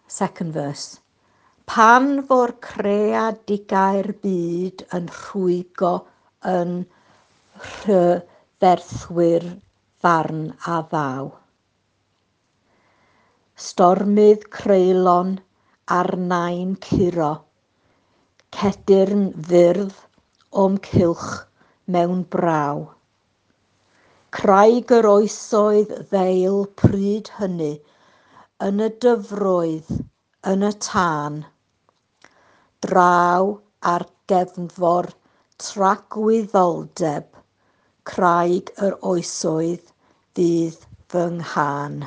Second verse. Pan fo'r creadigau'r byd yn rhwygo yn rhyferthwyr farn a ddaw. Stormydd creulon arnau'n curo, cedyrn fyrdd o'm cylch mewn braw. Craig yr oesoedd ddeil pryd hynny, yn y dyfroedd, yn y tân. Draw ar gefnfor tragwyddoldeb, craig yr oesoedd fydd fy nghân.